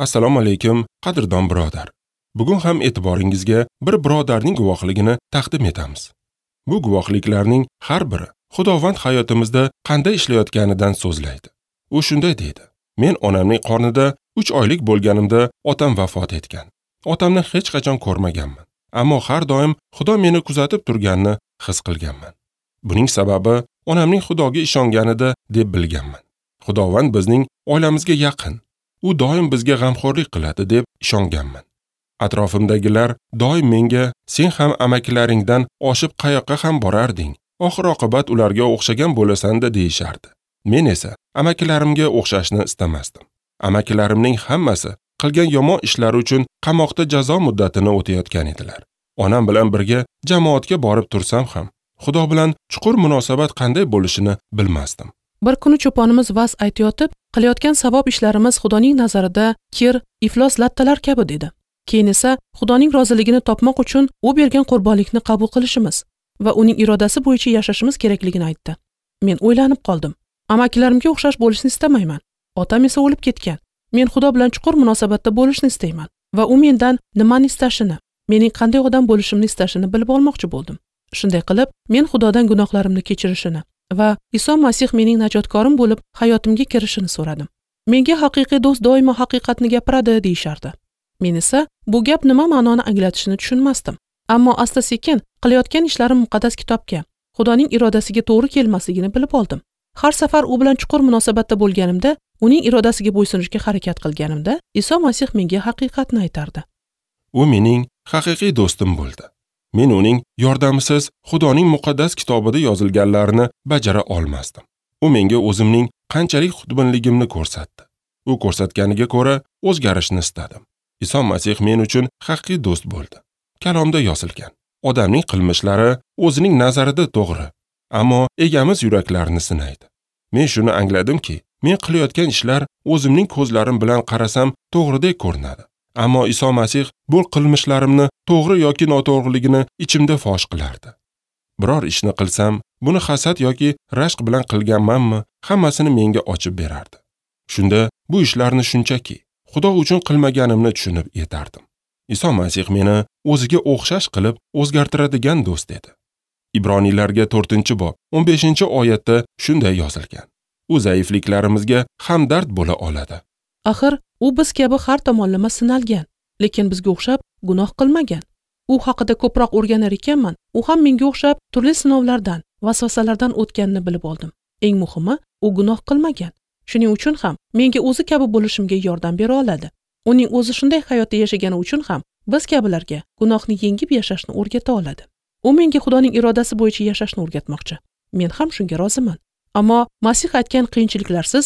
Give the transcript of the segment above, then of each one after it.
Assalomu alaykum, qadrdon birodar. Bugun ham e'tiboringizga bir birodarning guvohligini taqdim etamiz. Bu guvohliklarning har biri Xudovand hayotimizda qanday ishlayotganidan so'zlaydi. U shunday deydi: Men onamning qornida 3 oylik bo'lganimda otam vafot etgan. Otamni hech qachon ko'rmaganman, ammo har doim Xudo meni kuzatib turganini his qilganman. Buning sababi onamning Xudoga ishonganida deb bilganman. Xudovand bizning oilamizga yaqin. U doim bizga g'amxo'rlik qiladi deb ishonganman. Atrofimdagilar doim menga sen ham amakilaringdan oshib qayoqqa ham borarding, oxir oqibat ularga o'xshagan bo'lasan-da deyishardi. Men esa amakilarimga o'xshashni istamasdim. Amakilarimning hammasi qilgan yomon ishlari uchun qamoqda jazo muddatini o'tayotgan edilar. Onam bilan birga jamoatga borib tursam ham, Xudo bilan chuqur munosabat qanday bo'lishini bilmasdim. Bir kuni cho'ponimiz va'z aytayotib, qilayotgan savob ishlarimiz Xudoning nazarida kir, iflos lattalar kabi dedi. Keyin esa Xudoning roziligini topmoq uchun u bergan qurbonlikni qabul qilishimiz va uning irodasi bo'yicha yashashimiz kerakligini aytdi. Men o'ylanib qoldim. Amakilarimga o'xshash bo'lishni istamayman. Otam esa o'lib ketgan. Men Xudo bilan chuqur munosabatda bo'lishni istayman va u mendan nimani istashini, mening qanday odam bo'lishimni istashini bilib olmoqchi bo'ldim. Shunday qilib, men Xudodan gunohlarimni kechirishini va Iso Masih mening najotkorim bo'lib hayotimga kirishini so'radim. Menga haqiqiy do'st doimo haqiqatni gapiradi deyishardi. Men esa bu gap nima ma'noni anglatishini tushunmasdim. Ammo asta-sekin qilayotgan ishlarim muqaddas kitobga, Xudoning irodasiga to'g'ri kelmasligini bilib oldim. Har safar u bilan chuqur munosabatda bo'lganimda, uning irodasiga bo'ysunishga harakat qilganimda, Iso Masih menga haqiqatni aytardi. U mening haqiqiy do'stim bo'ldi. Men uning yordamisiz Xudoning muqaddas kitobida yozilganlarini bajara olmasdim. U menga o'zimning qanchalik xudbinligimni ko'rsatdi. U ko'rsatganiga ko'ra o'zgarishni istadim. Iso Masih men uchun haqiqiy do'st bo'ldi. Kalomda yozilgan: odamning qilmishlari o'zining nazarida to'g'ri, ammo egamiz yuraklarni sinaydi. Men shuni angladimki, men qilayotgan ishlar o'zimning ko'zlarim bilan qarasam to'g'ridek ko'rinadi. Ammo Iso Masih bu qilmishlarimni to'g'ri yoki noto'g'riligini ichimda fosh qilardi. Biror ishni qilsam, buni hasad yoki rashk bilan qilganmanmi, hammasini menga ochib berardi. Shunda bu ishlarni shunchaki Xudo uchun qilmaganimni tushunib yetardim. Iso Masih meni o'ziga o'xshash qilib o'zgartiradigan do'st edi. Ibroniylarga 4-bob 15-oyatda shunday yozilgan: U zaifliklarimizga hamdard bo'la oladi. Axir u biz kabi har tomonlama sinalgan, lekin bizga o'xshab gunoh qilmagan. U haqida ko'proq o'rganar ekanman, u ham menga o'xshab turli sinovlardan, vasvasalardan o'tganini bilib oldim. Eng muhimi, u gunoh qilmagan. Shuning uchun ham menga o'zi kabi bo'lishimga yordam bera oladi. Uning o'zi shunday hayotda yashagani uchun ham biz kabilarga gunohni yengib yashashni o'rgata oladi. U menga Xudoning irodasi bo'yicha yashashni o'rgatmoqchi. Men ham shunga roziman. Ammo Masih aytgan qiyinchiliklarsiz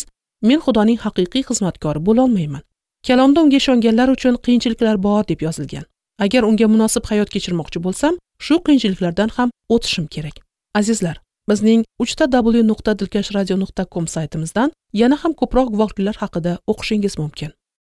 men Xudoning haqiqiy xizmatkori bo'la olmayman. Kalomda unga ishonganlar uchun qiyinchiliklar bor deb yozilgan. Agar unga munosib hayot kechirmoqchi bo'lsam, shu qiyinchiliklardan ham o'tishim kerak. Azizlar, bizning www.dilkashradio.com saytimizdan yana ham ko'proq guvohliklar haqida o'qishingiz mumkin.